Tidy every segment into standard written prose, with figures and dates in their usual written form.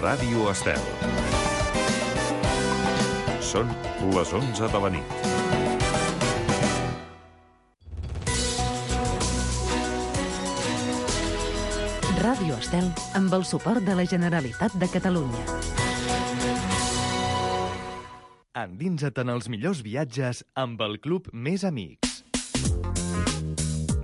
Ràdio Estel. Són les 11 de la nit. Ràdio Estel amb el suport de la Generalitat de Catalunya. Endinsa't en els millors viatges amb el Club Més Amics.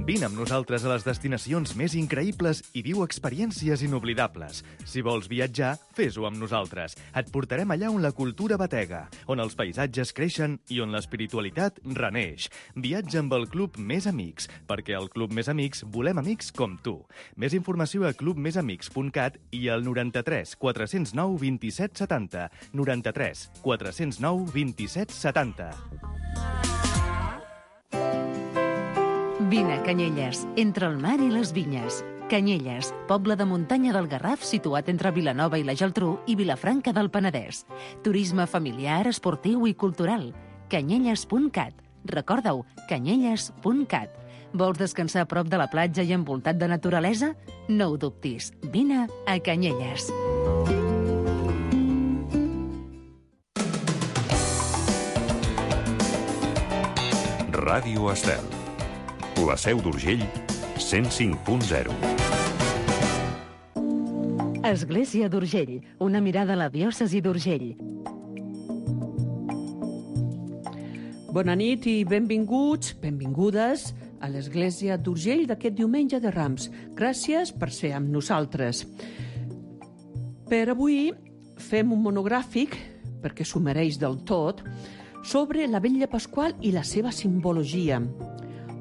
Vine amb nosaltres a les destinacions més increïbles i viu experiències inoblidables. Si vols viatjar, fes-ho amb nosaltres. Et portarem allà on la cultura batega, on els paisatges creixen i on l'espiritualitat reneix. Viatja amb el Club Més Amics, perquè al Club Més Amics volem amics com tu. Més informació a clubmesamics.cat i al 93 409 27 70. 93 409 27 70. Vine a Canyelles, entre el mar i les vinyes. Canyelles, poble de muntanya del Garraf situat entre Vilanova i la Geltrú i Vilafranca del Penedès. Turisme familiar, esportiu i cultural. Canyelles.cat. Recorda-ho, canyelles.cat. Vols descansar a prop de la platja i envoltat de naturalesa? No ho dubtis. Vine a Canyelles. Ràdio Estel. La Seu d'Urgell, 105.0. Església d'Urgell, una mirada a la diòcesi d'Urgell. Bona nit i benvinguts, benvingudes a l'Església d'Urgell d'aquest diumenge de Rams. Gràcies per ser amb nosaltres. Per avui fem un monogràfic, perquè s'ho mereix del tot, sobre la Vetlla Pasqual i la seva simbologia.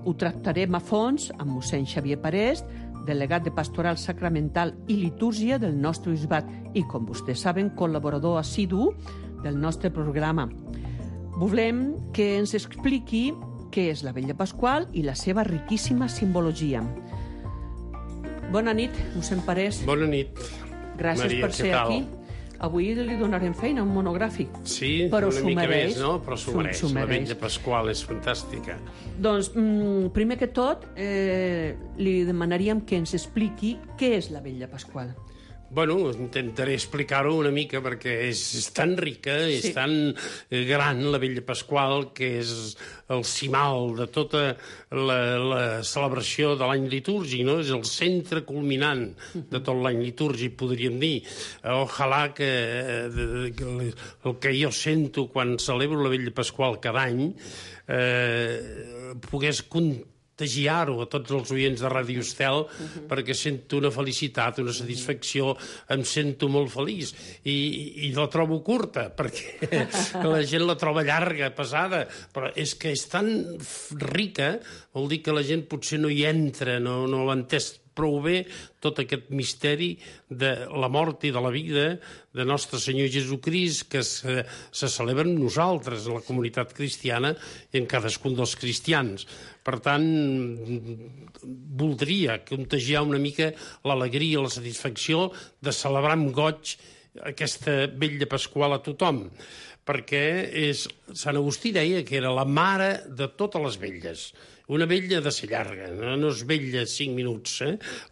Ho tractarem a fons amb mossèn Xavier Parés, delegat de Pastoral Sacramental i Litúrgia del nostre bisbat i, com vostès saben, col·laborador assidu del nostre programa. Volem que ens expliqui què és la Vetlla Pasqual i la seva riquíssima simbologia. Bona nit, mossèn Parés. Bona nit. Gràcies Maria, per ser aquí. Avui li donarem feina a un monogràfic. Sí, però una mica mereix. més, no? Però s'ho mereix. La Vetlla Pasqual és fantàstica. Doncs, primer que tot, li demanaríem que ens expliqui què és la Vetlla Pasqual. Bueno, intentaré explicar-ho una mica perquè és tan rica, és tan gran la Vetlla Pasqual, que és el cimal de tota la celebració de l'any litúrgic, no? És el centre culminant de tot l'any litúrgic, podríem dir. Ojalà que el que jo sento quan celebro la Vetlla Pasqual cada any pogués contagiar-ho a tots els oients de Ràdio Estel, perquè sento una felicitat, una satisfacció, em sento molt feliç. I la trobo curta, perquè la gent la troba llarga, pesada, però és que és tan rica, vol dir que la gent potser no hi entra, no l'ha entès prou bé tot aquest misteri de la mort i de la vida de Nostre Senyor Jesucrist, que se celebra en nosaltres, en la comunitat cristiana i en cadascun dels cristians. Per tant, voldria contagiar una mica l'alegria, la satisfacció de celebrar amb goig aquesta Vetlla Pasqual a tothom, perquè Sant Agustí deia que era la mare de totes les vetlles. Una vetlla ha de ser llarga, no és vetlla 5 minuts.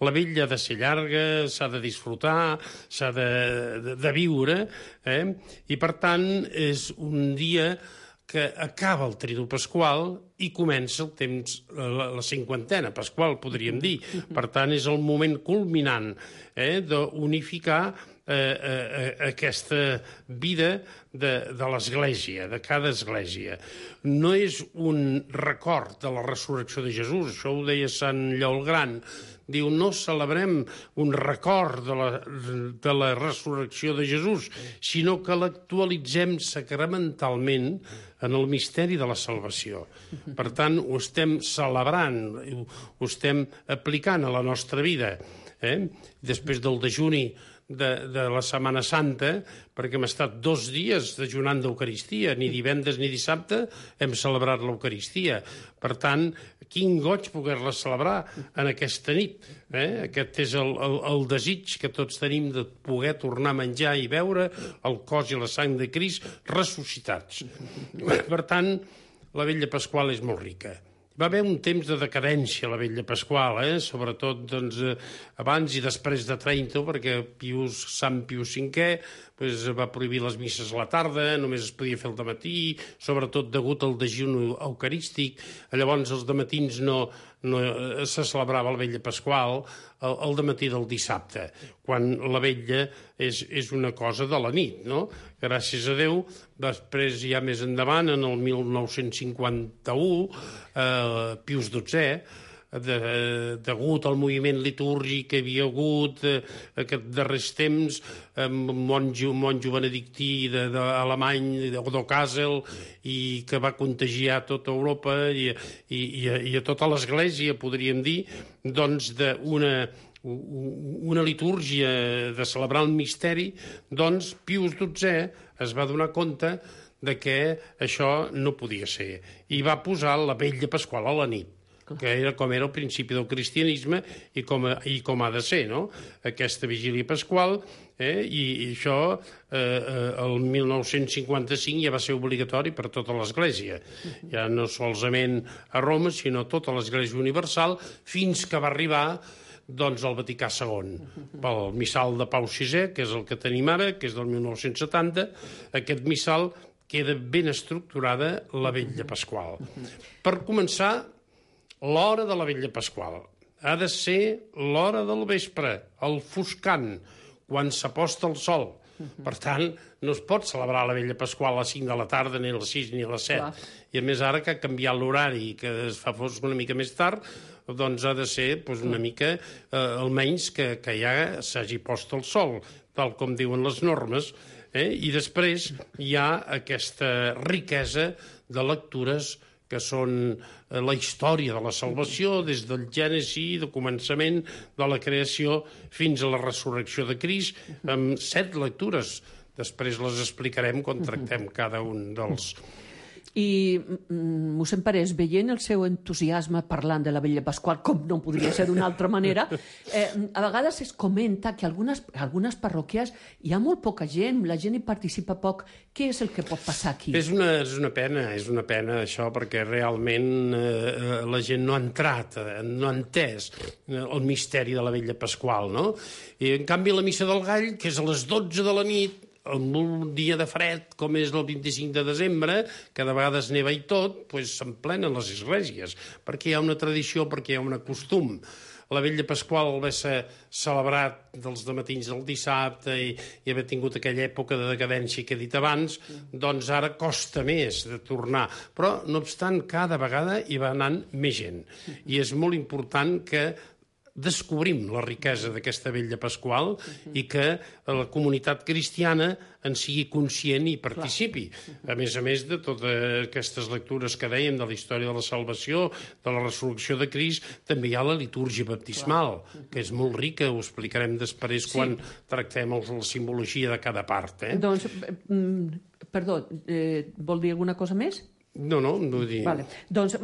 La vetlla ha de ser llarga, s'ha de disfrutar, s'ha de viure, i per tant és un dia que acaba el Tridu Pasqual i comença el temps, la cinquantena Pasqual, podríem dir. Per tant, és el moment culminant d'unificar aquesta vida de l'Església, de cada Església. No és un record de la resurrecció de Jesús, això ho deia Sant Lleó el Gran. Diu, no celebrem un record de la resurrecció de Jesús, sinó que l'actualitzem sacramentalment en el misteri de la salvació. Per tant, ho estem celebrant, ho estem aplicant a la nostra vida. Després del dejuni de la Setmana Santa, perquè hem estat 2 dies dejunant d'Eucaristia, ni divendres ni dissabte hem celebrat l'Eucaristia. Per tant, quin goig poder-la celebrar en aquesta nit. Aquest és el desig que tots tenim de poder tornar a menjar i beure el cos i la sang de Crist ressuscitats. Per tant, la Vetlla Pasqual és molt rica. Va haver un temps de decadència a la Vetlla Pasqual, sobretot abans i després de Trento, perquè Sant Pius V va prohibir les misses a la tarda, només es podia fer el dematí, sobretot degut al dejuni eucarístic. Llavors els dematins no se celebrava la Vetlla Pasqual el dematí del dissabte, quan la vetlla és una cosa de la nit, no? Gràcies a Déu, després ja més endavant, en el 1951, Pius XII, degut al moviment litúrgic que hi havia hagut aquests darrers temps, monjo benedictí alemany, d'Okassel, i que va contagiar tota Europa i a tota l'Església, podríem dir, doncs una litúrgia de celebrar el misteri, doncs Pius XII es va donar compte de que això no podia ser, i va posar la Vetlla Pasqual a la nit, que era com era el principi del cristianisme i com ha de ser, no? Aquesta vigília pasqual, i això el 1955 ja va ser obligatori per tota l'Església, ja no solament a Roma, sinó a tota l'Església universal, fins que va arribar doncs el Vaticà II, pel missal de Pau VI, que és el que tenim ara, que és del 1970, aquest missal queda ben estructurada la Vetlla Pasqual. Per començar, l'hora de la Vetlla Pasqual ha de ser l'hora del vespre, el foscant, quan s'aposta el sol. Per tant, no es pot celebrar la Vetlla Pasqual a les 5 de la tarda, ni a les 6 ni a les 7. Clar. I a més ara que ha canviat l'horari i que es fa fosc una mica més tard, doncs ha de ser una mica, almenys que ja s'hagi post el sol, tal com diuen les normes, i després hi ha aquesta riquesa de lectures que són la història de la salvació, des del Gènesi, del començament de la creació fins a la resurrecció de Crist, amb 7 lectures. Després les explicarem quan tractem cada un dels... I, mossèn Parés, veient el seu entusiasme parlant de la Vetlla Pasqual, com no podria ser d'una altra manera, a vegades es comenta que algunes parròquies hi ha molt poca gent, la gent hi participa poc. Què és el que pot passar aquí? És una pena això, perquè realment la gent no ha entrat, no ha entès el misteri de la Vetlla Pasqual, no? I, en canvi, la Missa del Gall, que és a les 12 de la nit, en un dia de fred, com és el 25 de desembre, que de vegades neva i tot, s'emplenen les esglésies, perquè hi ha una tradició, perquè hi ha un costum. La Vetlla Pasqual va ser celebrat dels dematins del dissabte i haver tingut aquella època de decadència que he dit abans, doncs ara costa més de tornar. Però, no obstant, cada vegada hi va anant més gent. I és molt important que descobrim la riquesa d'aquesta Vetlla Pasqual i que la comunitat cristiana en sigui conscient i participi. A més de totes aquestes lectures que dèiem de la història de la salvació, de la resurrecció de Crist, també hi ha la litúrgia baptismal, que és molt rica, ho explicarem després quan tractem la simbologia de cada part. Doncs, perdó, vol dir alguna cosa més? No vull dir... Vale. Doncs,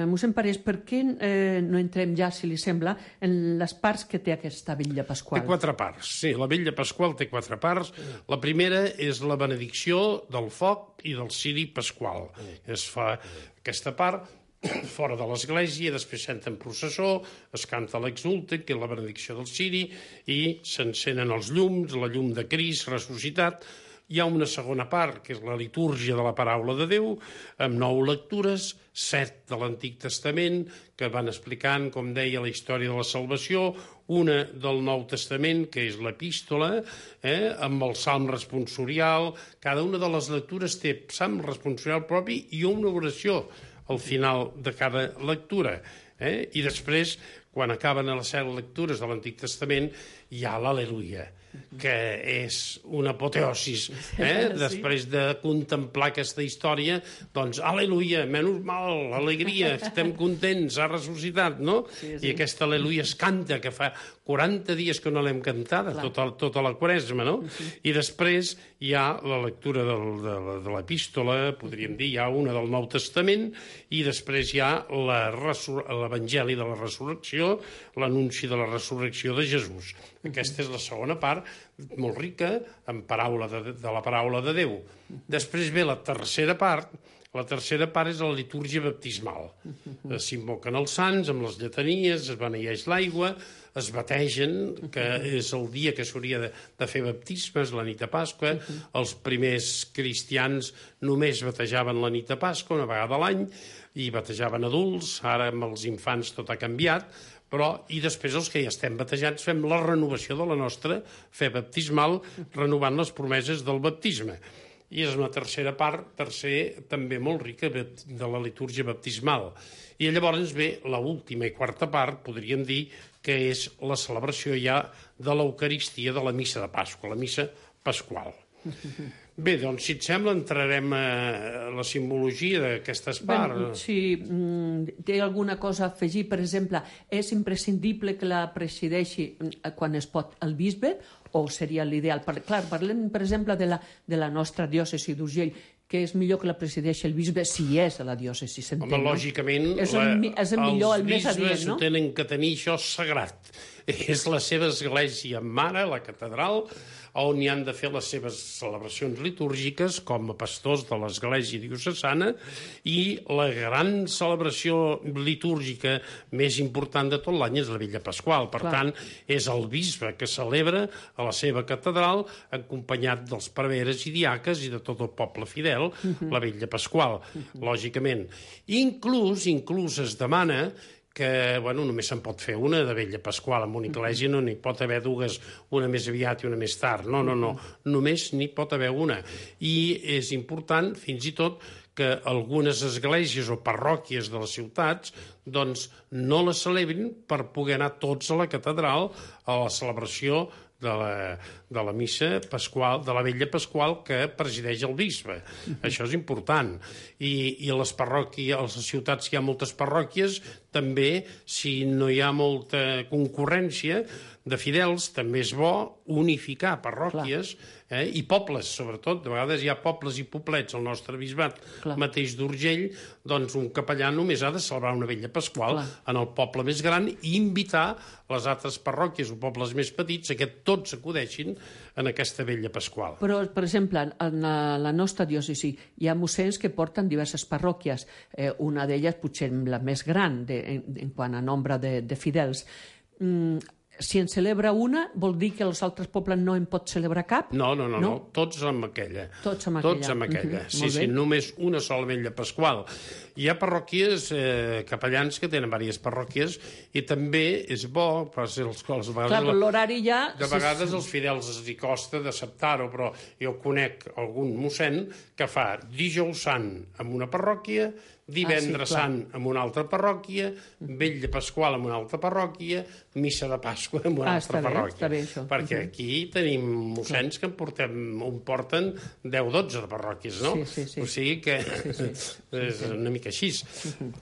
mossèn Parés, per què no entrem ja, si li sembla, en les parts que té aquesta Vetlla Pasqual? Té 4 parts, sí. La Vetlla Pasqual té 4 parts. La primera és la benedicció del foc i del ciri pasqual. Es fa aquesta part fora de l'església, després s'entra en processó, es canta l'exulte, que és la benedicció del ciri, i s'encenen els llums, la llum de Crist ressuscitat. Hi ha una segona part, que és la litúrgia de la paraula de Déu, amb 9 lectures, 7 de l'Antic Testament, que van explicant, com deia, la història de la salvació, una del Nou Testament, que és l'epístola, amb el salm responsorial. Cada una de les lectures té salm responsorial propi i una oració al final de cada lectura. I després, quan acaben les 7 lectures de l'Antic Testament, hi ha l'Al·leluia, que és una apoteosis. Després de contemplar aquesta història, doncs, al·leluia, menys mal, alegria, estem contents, ha ressuscitat, no? I aquesta al·leluia es canta, que fa 40 dies que no l'hem cantada, tota la Quaresma, no? I després hi ha la lectura de l'epístola, podríem dir, hi ha una del Nou Testament, i després hi ha l'Evangeli de la Resurrecció, l'anunci de la resurrecció de Jesús. Aquesta és la segona part, molt rica, en paraula de la paraula de Déu. Després ve la tercera part, La tercera part és la litúrgia baptismal. S'invoquen els sants amb les lletanies, es beneeix l'aigua, es bategen, que és el dia que s'hauria de fer baptismes, la nit de Pasqua. Els primers cristians només batejaven la nit de Pasqua, una vegada a l'any, i batejaven adults. Ara amb els infants tot ha canviat, i després els que ja estem batejats fem la renovació de la nostra fe baptismal, renovant les promeses del baptisme. I és una tercera part, també molt rica, de la litúrgia baptismal. I llavors ve l'última i quarta part, podríem dir, que és la celebració ja de l'Eucaristia de la missa de Pasqua, la missa pasqual. Bé, doncs, si et sembla, entrarem a la simbologia d'aquestes parts. Si té alguna cosa a afegir, per exemple, és imprescindible que la presideixi quan es pot el bisbe, o seria l'ideal? Clar, parlem, per exemple, de la nostra diòcesi d'Urgell, que és millor que la presideixi el bisbe si és a la diòcesi, s'entén, Home, lògicament, és el millor, el més adient, no? Els bisbes ho tenen que tenir això sagrat. És la seva església mare, la catedral, on hi han de fer les seves celebracions litúrgiques com a pastors de l'església diocesana, i la gran celebració litúrgica més important de tot l'any és la Vetlla Pasqual. Per tant, és el bisbe que celebra a la seva catedral, acompanyat dels preveres i diaques i de tot el poble fidel, la Vetlla Pasqual, lògicament. Inclús es demana que només se'n pot fer una de Vetlla Pasqual. En una església no n'hi pot haver dues, una més aviat i una més tard. No. Només n'hi pot haver una. I és important, fins i tot, que algunes esglésies o parròquies de les ciutats doncs no la celebrin per poder anar tots a la catedral a la celebració de la missa pasqual, de la Vetlla Pasqual que presideix el bisbe. Això és important. I a les parròquies, a les ciutats que hi ha moltes parròquies, també, si no hi ha molta concurrència de fidels, també és bo unificar parròquies i pobles, sobretot. De vegades hi ha pobles i poblets al nostre bisbat mateix d'Urgell, doncs un capellà només ha de celebrar una Vetlla Pasqual en el poble més gran i invitar les altres parròquies o pobles més petits a que tots acudeixin en aquesta Vetlla Pasqual. Però, per exemple, en la nostra diòcesi hi ha mossens que porten diverses parròquies, una d'elles potser la més gran en quant a nombre de fidels. Si en celebra una, vol dir que els altres pobles no en pot celebrar cap? No. Tots amb aquella. Tots amb aquella. Sí, només una sola Vetlla Pasqual. Hi ha parròquies, capellans que tenen diverses parròquies, i també és bo, l'horari ja... De vegades els fidels es costa d'acceptar-ho, però jo conec algun mossèn que fa dijous sant en una parròquia, divendres sant en una altra parròquia, Vetlla Pasqual en una altra parròquia, missa de Pasqua en una altra parròquia. Està bé, això. Perquè aquí tenim mossens que en porten 10-12 de parròquies, no? Sí. O sigui que és una mica així.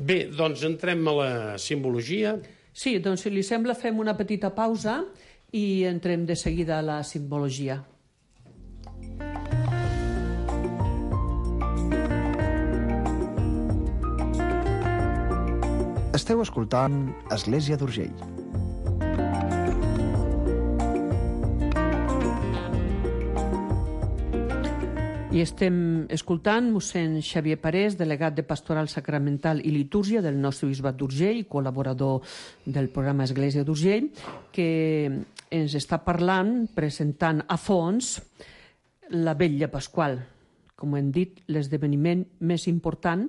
Bé, doncs entrem a la simbologia. Sí, doncs si li sembla fem una petita pausa i entrem de seguida a la simbologia. Esteu escoltant Església d'Urgell. I estem escoltant mossèn Xavier Parés, delegat de Pastoral Sacramental i Litúrgia del nostre bisbat d'Urgell, col·laborador del programa Església d'Urgell, que ens està parlant, presentant a fons la Vetlla Pasqual, com hem dit, l'esdeveniment més important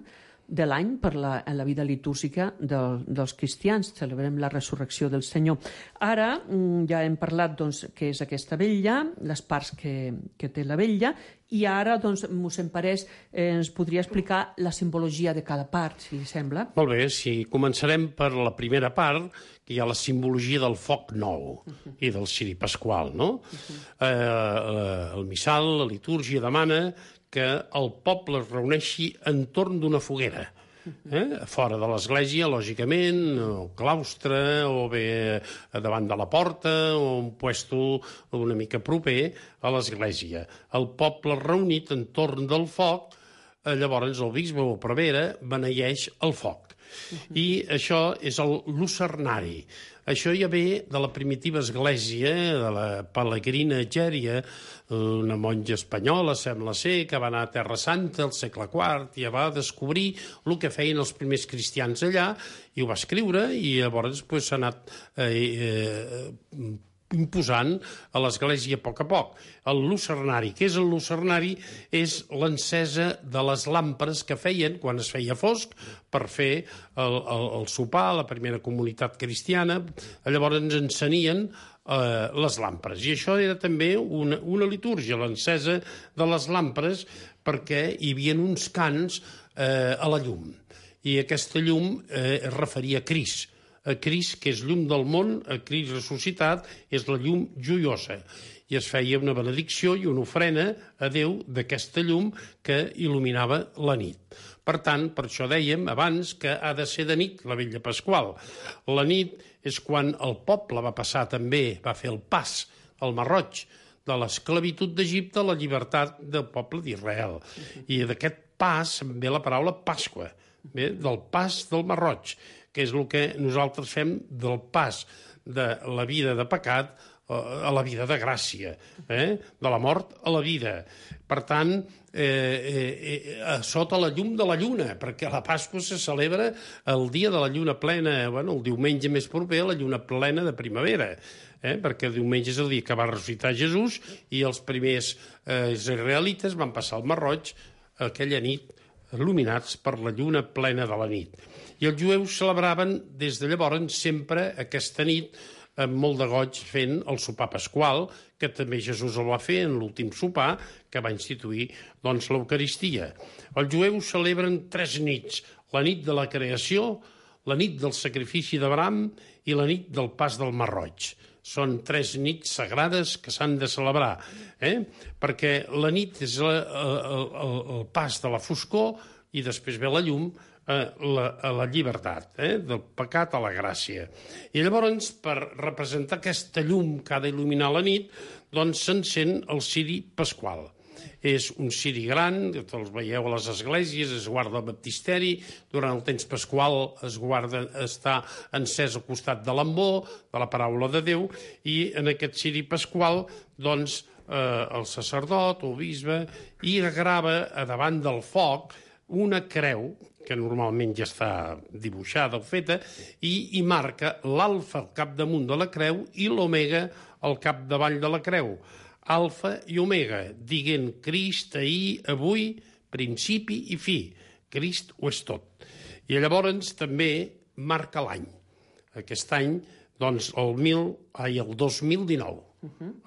de l'any per a la vida litúrgica dels cristians. Celebrem la resurrecció del Senyor. Ara ja hem parlat què és aquesta vetlla, les parts que té la vetlla, i ara mossèn Parés ens podria explicar la simbologia de cada part, si li sembla. Molt bé, sí. Començarem per la primera part, que hi ha la simbologia del foc nou i del ciri pasqual, no? El missal, la litúrgia demana que el poble es reuneixi entorn d'una foguera, fora de l'església, lògicament, o claustre, o bé davant de la porta, o un puesto una mica proper a l'església. El poble reunit entorn del foc, llavors el bisbe o prevera beneeix el foc. I això és el lucernari. Això ja ve de la primitiva església, de la Pelegrina Egèria, una monja espanyola, sembla ser, que va anar a Terra Santa al segle IV i ja va descobrir el que feien els primers cristians allà i ho va escriure i llavors s'ha anat imposant a l'Església a poc. El lucernari. Què és el lucernari? És l'encesa de les làmperes que feien quan es feia fosc per fer el sopar, la primera comunitat cristiana. Llavors ens encenien les làmperes. I això era també una litúrgia, l'encesa de les làmperes, perquè hi havia uns cants a la llum. I aquesta llum es referia a Crist. A Crist, que és llum del món, a Crist ressuscitat, és la llum joiosa. I es feia una benedicció i una ofrena a Déu d'aquesta llum que il·luminava la nit. Per tant, per això dèiem abans que ha de ser de nit la vetlla pasqual. La nit és quan el poble va passar també, va fer el pas al Mar Roig, de l'esclavitud d'Egipte a la llibertat del poble d'Israel. I d'aquest pas ve la paraula Pasqua, ve del pas del Mar Roig, que és el que nosaltres fem del pas de la vida de pecat a la vida de gràcia, de la mort a la vida. Per tant, sota la llum de la lluna, perquè la Pasqua se celebra el dia de la lluna plena, el diumenge més proper a la lluna plena de primavera, perquè el diumenge és el dia que va ressuscitar Jesús i els primers israelites van passar al Mar Roig aquella nit il·luminats per la lluna plena de la nit. I els jueus celebraven des de llavors sempre aquesta nit amb molt de goig fent el sopar pasqual, que també Jesús el va fer en l'últim sopar que va instituir l'Eucaristia. Els jueus celebren 3 nits, la nit de la creació, la nit del sacrifici d'Abraham i la nit del pas del Mar Roig. Són 3 nits sagrades que s'han de celebrar, perquè la nit és el pas de la foscor i després ve la llum, a la llibertat, del pecat a la gràcia. I llavors, per representar aquesta llum que ha d'il·luminar la nit, doncs s'encén el ciri pasqual. És un ciri gran, que els veieu a les esglésies, es guarda al baptisteri, durant el temps pasqual està encès al costat de l'ambó, de la paraula de Déu, i en aquest ciri pasqual, doncs, el sacerdot o el bisbe hi grava a davant del foc una creu, que normalment ja està dibuixada o feta, i hi marca l'alfa al capdamunt de la creu i l'omega al capdavall de la creu. Alfa i omega, dient Crist ahir, avui, principi i fi. Crist ho és tot. I llavors també marca l'any. Aquest any, doncs, el 2019.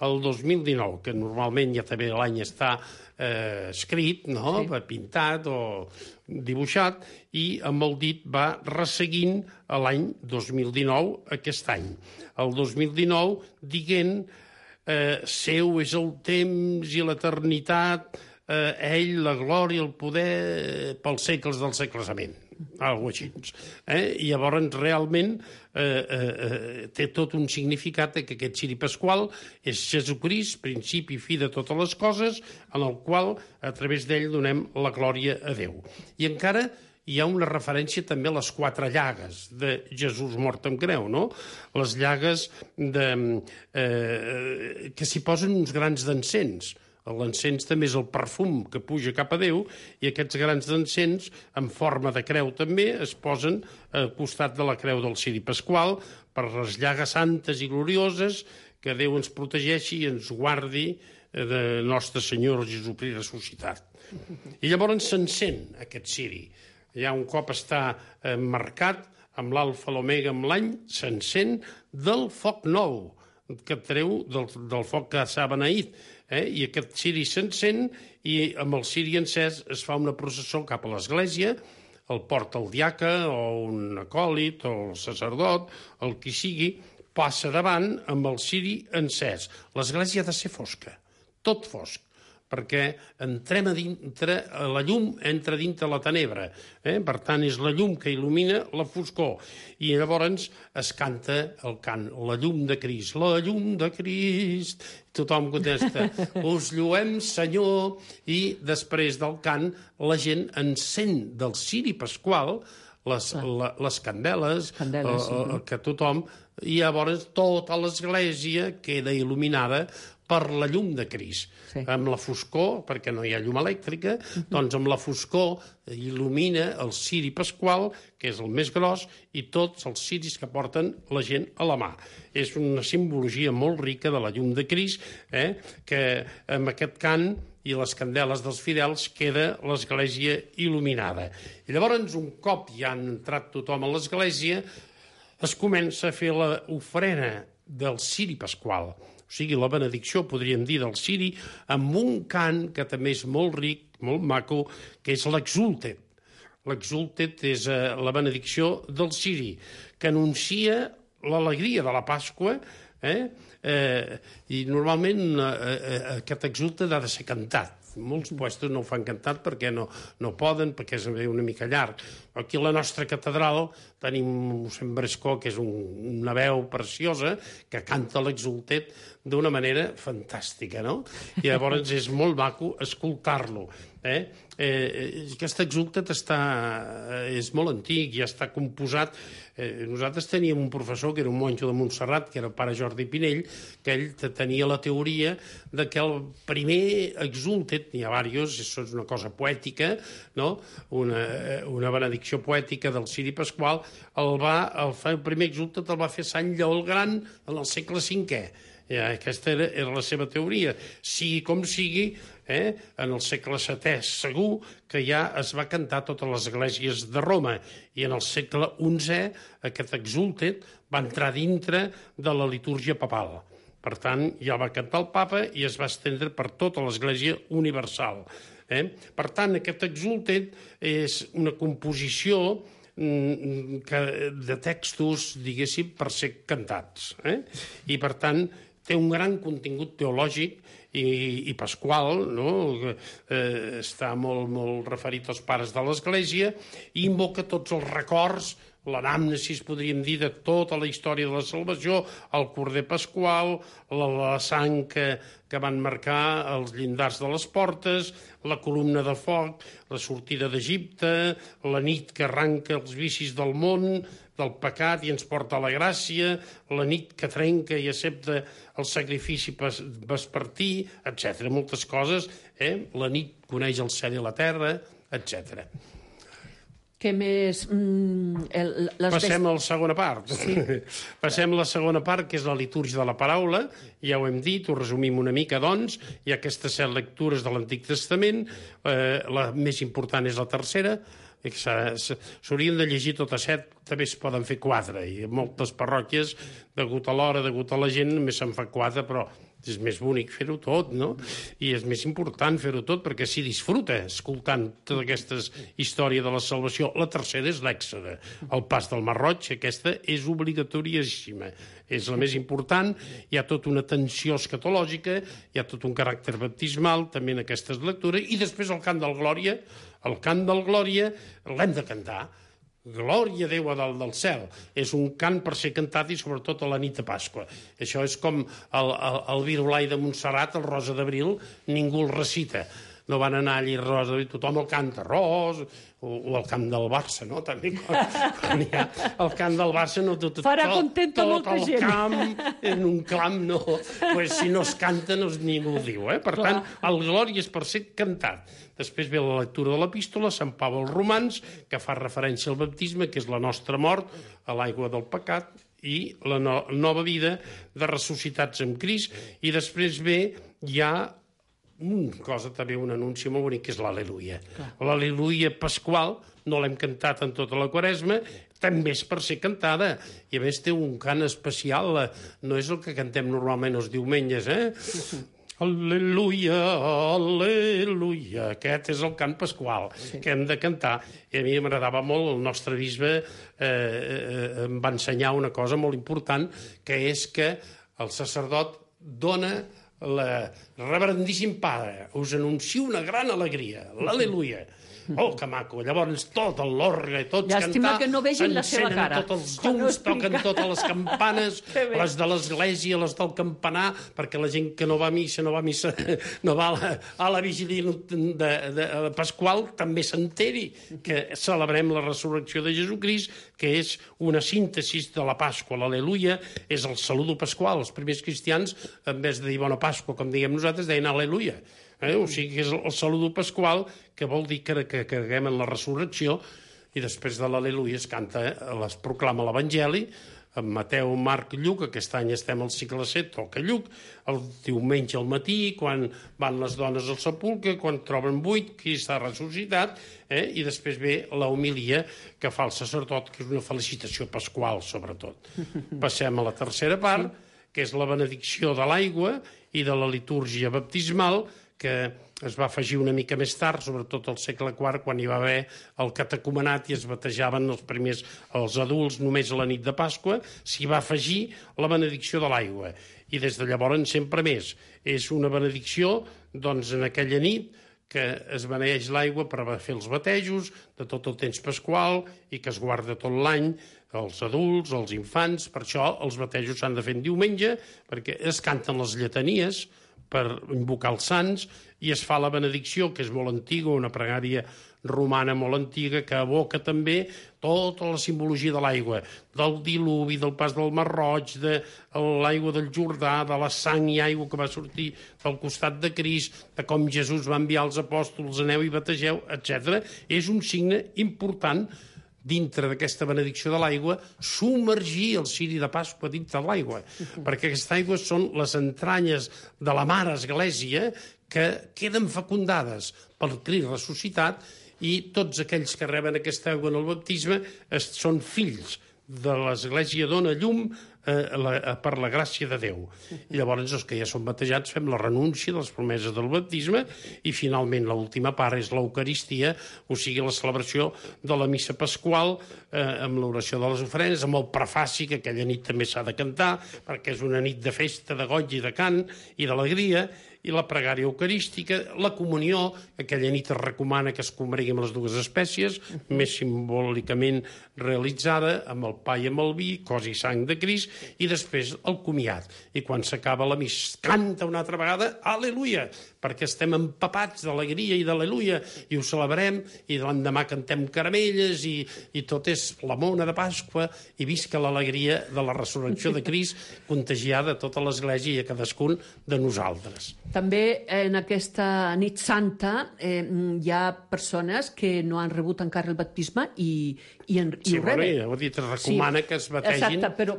El 2019, que normalment ja també l'any està escrit, no? Sí. Pintat o dibuixat, i amb el dit va resseguint l'any 2019 aquest any. El 2019 dient seu és el temps i l'eternitat, ell, la glòria, el poder pels segles dels segles. Amén. Algo així. I llavors realment té tot un significat que aquest ciri pasqual és Jesucrist, principi i fi de totes les coses, en el qual a través d'ell donem la glòria a Déu. I encara hi ha una referència també a les 4 llagues de Jesús mort amb creu, no? Les llagues que s'hi posen uns grans d'encens. L'encens també és el perfum que puja cap a Déu i aquests grans d'encens, en forma de creu també, es posen al costat de la creu del ciri pasqual per les llagues santes i glorioses, que Déu ens protegeixi i ens guardi de Nostre Senyor Jesucrist ressuscitat. I llavors s'encén aquest ciri. Ja un cop està marcat amb l'alfa, l'omega, amb l'any, s'encén del foc nou, que treu del foc que s'ha beneït. I aquest ciri s'encén i amb el ciri encès es fa una processó cap a l'església, el porta el diaca o un acòlit o el sacerdot, el qui sigui, passa davant amb el ciri encès. L'església ha de ser fosca, tot fosc, perquè entrem a dintre, la llum entra dintre la tenebra. Per tant, és la llum que il·lumina la foscor. I llavors es canta el cant, la llum de Crist, la llum de Crist. Tothom contesta, us lluem, Senyor, i després del cant la gent encén del ciri pasqual les candeles, sí. que tothom... I llavors tota l'església queda il·luminada per la llum de Crist. Sí. Amb la foscor, perquè no hi ha llum elèctrica, doncs amb la foscor il·lumina el ciri pasqual, que és el més gros, i tots els ciris que porten la gent a la mà. És una simbologia molt rica de la llum de Crist, que amb aquest cant i les candeles dels fidels queda l'església il·luminada. I llavors, un cop ja han entrat tothom a l'església, es comença a fer l'ofrena del ciri pasqual, o sigui, la benedicció, podríem dir, del ciri, amb un cant que també és molt ric, molt maco, que és l'exultet. L'exultet és la benedicció del ciri, que anuncia l'alegria de la Pasqua, i normalment aquest exultet ha de ser cantat. Molts puestos no ho fan cantat perquè no poden, perquè és una mica llarg. Aquí a la nostra catedral tenim mossèn Brescó, que és una veu preciosa, que canta l'exultet d'una manera fantàstica, no? I llavors és molt maco escoltar-lo. Aquest exultet és molt antic, ja està composat. Nosaltres teníem un professor que era un monjo de Montserrat, que era el pare Jordi Pinell, que ell tenia la teoria de que el primer exultet, n'hi ha diversos, això és una cosa poètica, no? Una benedicció poètica del ciri pasqual, el primer exultet el va fer Sant Lleó el Gran en el segle V. Aquesta era la seva teoria. Sigui com sigui, en el segle VII segur que ja es va cantar a totes les esglésies de Roma, i en el segle XI aquest exultet va entrar dintre de la litúrgia papal. Per tant, ja va cantar el papa i es va estendre per tota l'església universal. Per tant, aquest exultet és una composició de textos, diguéssim, per ser cantats. I, per tant, té un gran contingut teològic i pasqual, no? Està molt referit als pares de l'Església i invoca tots els records, l'anàmnesis, podríem dir, de tota la història de la salvació, el corder pasqual, la sang que van marcar els llindars de les portes, la columna de foc, la sortida d'Egipte, la nit que arranca els vicis del món, del pecat i ens porta a la gràcia, la nit que trenca i accepta el sacrifici vespertí, etc. Moltes coses. La nit coneix el cel i la terra, etc. Què més? Passem a la segona part. Sí. Passem a la segona part, que és la litúrgia de la paraula. Ja ho hem dit, ho resumim una mica, doncs. Hi ha aquestes 7 lectures de l'Antic Testament. La més important és la tercera. S'haurien de llegir totes 7, també es poden fer 4. I en moltes parròquies, degut a l'hora, degut a la gent, només se'n fa 4, però és més bonic fer-ho tot, no? I és més important fer-ho tot perquè s'hi disfruta escoltant tota aquesta història de la salvació. La tercera és l'Èxode, el pas del Mar Roig. Aquesta és obligatoriíssima, és la més important. Hi ha tota una tensió escatològica, hi ha tot un caràcter baptismal també en aquestes lectures, i després el cant del Glòria. El cant del Glòria l'hem de cantar. Glòria a Déu a dalt del cel. És un cant per ser cantat i sobretot a la nit de Pasqua. Això és com el Virolai de Montserrat, el Rosa d'Abril, ningú el recita. No van anar allí Rosa d'Abril, tothom el canta, Ros, o el camp del Barça, no? També quan hi ha el camp del Barça, no tot molta el gent. Camp, en un clam, no. Pues si no es canta, ningú ho diu. Per tant, el Glòria és per ser cantat. Després ve la lectura de l'epístola, Sant Pau als Romans, que fa referència al baptisme, que és la nostra mort, a l'aigua del pecat, i la nova vida de ressuscitats amb Crist. I després ve ja una cosa, també un anunci molt bonic, que és l'Al·leluia. L'Al·leluia pasqual no l'hem cantat en tota la Quaresma, també és per ser cantada. I a més té un cant especial, no és el que cantem normalment els diumenges, Al·leluia, al·leluia. Aquest és el cant pasqual que hem de cantar. I a mi m'agradava molt, el nostre bisbe em va ensenyar una cosa molt important, que és que el sacerdot dona Reverendíssim Pare, us anuncio una gran alegria, l'al·leluia. Oh, que maco! Llavors tot l'orgue, tots Llàstima cantar, que no vegin la seva encenen cara. tots els llums, toquen totes les campanes, Que bé. les de l'església, les del campanar, perquè la gent que no va a missa, no va a la vigília de Pasqual, també s'enteri que celebrem la resurrecció de Jesucrist, que és una síntesi de la Pasqua. L'Aleluia és el saludo pasqual. Els primers cristians, en vez de dir Bona Pasqua, com diguem nosaltres, deien Aleluia. O sigui que és el saludo pasqual, que vol dir que creguem en la resurrecció, i després de l'Aleluia es canta, es proclama l'Evangeli, en Mateu, Marc, Lluc. Aquest any estem al cicle 7, toca Lluc, el diumenge al matí, quan van les dones al sepulcre, quan troben buit, Crist ha ressuscitat, i després ve la homilia que fa el sacerdot, que és una felicitació pasqual, sobretot. Passem a la tercera part, que és la benedicció de l'aigua i de la litúrgia baptismal, que es va afegir una mica més tard, sobretot al segle IV, quan hi va haver el catecumenat i es batejaven els adults només a la nit de Pasqua, s'hi va afegir la benedicció de l'aigua. I des de llavors sempre més. És una benedicció, doncs, en aquella nit que es beneeix l'aigua per fer els batejos de tot el temps pasqual i que es guarda tot l'any, els adults, els infants. Per això els batejos s'han de fer en diumenge, perquè es canten les lletanies per invocar els sants, i es fa la benedicció, que és molt antiga, una pregària romana molt antiga, que evoca també tota la simbologia de l'aigua, del diluvi, del pas del Mar Roig, de l'aigua del Jordà, de la sang i aigua que va sortir del costat de Crist, de com Jesús va enviar els apòstols, aneu i bategeu, etc. És un signe important dintre d'aquesta benedicció de l'aigua, submergir el ciri de Pasqua dintre de l'aigua, perquè aquesta aigua són les entranyes de la Mare Església que queden fecundades pel Crist ressuscitat, i tots aquells que reben aquesta aigua en el baptisme són fills de l'Església, dona llum per la gràcia de Déu. I llavors els que ja són batejats fem la renúncia de les promeses del baptisme, i finalment l'última part és l'Eucaristia, o sigui la celebració de la missa pasqual, amb l'oració de les ofrenes, amb el prefaci, que aquella nit també s'ha de cantar, perquè és una nit de festa, de goig i de cant i d'alegria, i la pregària eucarística, la comunió, aquella nit es recomana que es combregui amb les dues espècies, més simbòlicament realitzada, amb el pa i amb el vi, cos i sang de Crist, i després el comiat. I quan s'acaba la missa, canta una altra vegada, Aleluia, perquè estem empapats d'alegria i d'Aleluia, i ho celebrem, i l'endemà cantem caramelles, i tot és la mona de Pasqua, i visca l'alegria de la resurrecció de Crist, contagiada a tota l'Església i a cadascun de nosaltres. També en aquesta nit santa hi ha persones que no han rebut encara el baptisme i ho reben. Ho dit, es recomana que es bategin. Exacte, però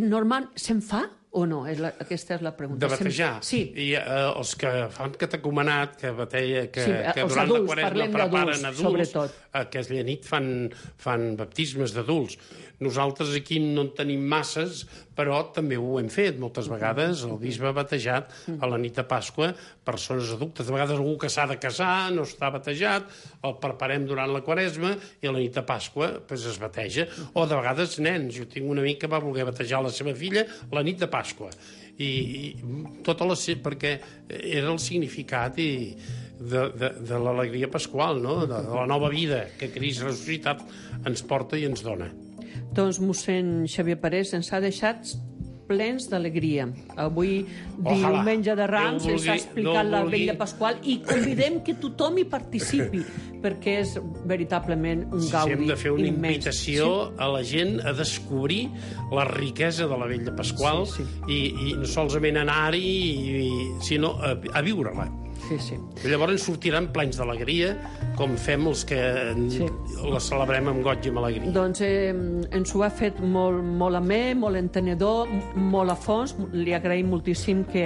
normal se'n fa o no? Aquesta és la pregunta. De batejar? Sí. I els que fan catecumenat, que els durant adults, la Quaresma preparen adults, sobretot. Aquella nit fan baptismes d'adults. Nosaltres aquí no en tenim masses, però també ho hem fet moltes vegades. El bisbe ha batejat a la nit de Pasqua persones adultes. De vegades algú que s'ha de casar no està batejat, el preparem durant la Quaresma i a la nit de Pasqua es bateja. O de vegades nens. Jo tinc un amic que va voler batejar la seva filla la nit de Pasqua. I perquè era el significat de l'alegria pasqual, no? De la nova vida que Crist ressuscitat ens porta i ens dona. Doncs mossèn Xavier Parés ens ha deixat plens d'alegria. Avui, diumenge de Rams, ens ha explicat la vetlla pasqual i convidem que tothom hi participi, perquè és veritablement un gaudi immens. Hem de fer una invitació a la gent a descobrir la riquesa de la vetlla pasqual i no solament anar-hi, sinó a viure-la. Sí. Llavors sortiran plens d'alegria, com fem els que la celebrem amb goig i amb alegria. Doncs ens ho ha fet molt amè, molt entenedor, molt a fons. Li agraïm moltíssim que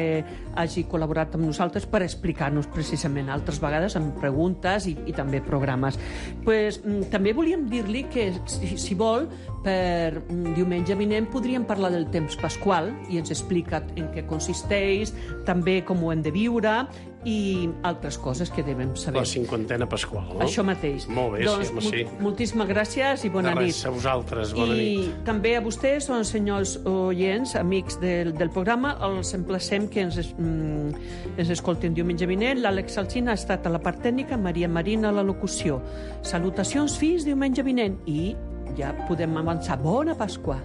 hagi col·laborat amb nosaltres per explicar-nos precisament altres vegades amb preguntes i també programes. També volíem dir-li que, si vol, per diumenge vinent podríem parlar del temps pasqual i ens explica en què consisteix, també com ho hem de viure i altres coses que devem saber. La 50a Pasqual, no? Això mateix. Molt bé, doncs, sí, home, sí. Moltíssimes gràcies i bona De res, nit. a vosaltres, bona nit. I també a vostès, senyors oients, amics del programa, els emplacem que ens escolten diumenge vinent. L'Àlex Alsina ha estat a la part tècnica, Maria Marina a la locució. Salutacions fins diumenge vinent i ja podem avançar. Bona Pasqua!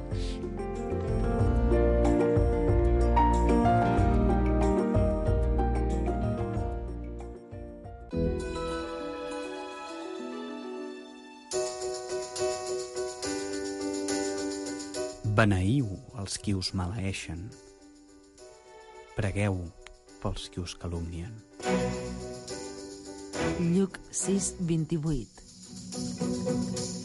Beneïu els qui us maleeixen. Pregueu pels qui us calumnien. Lluc 6:28.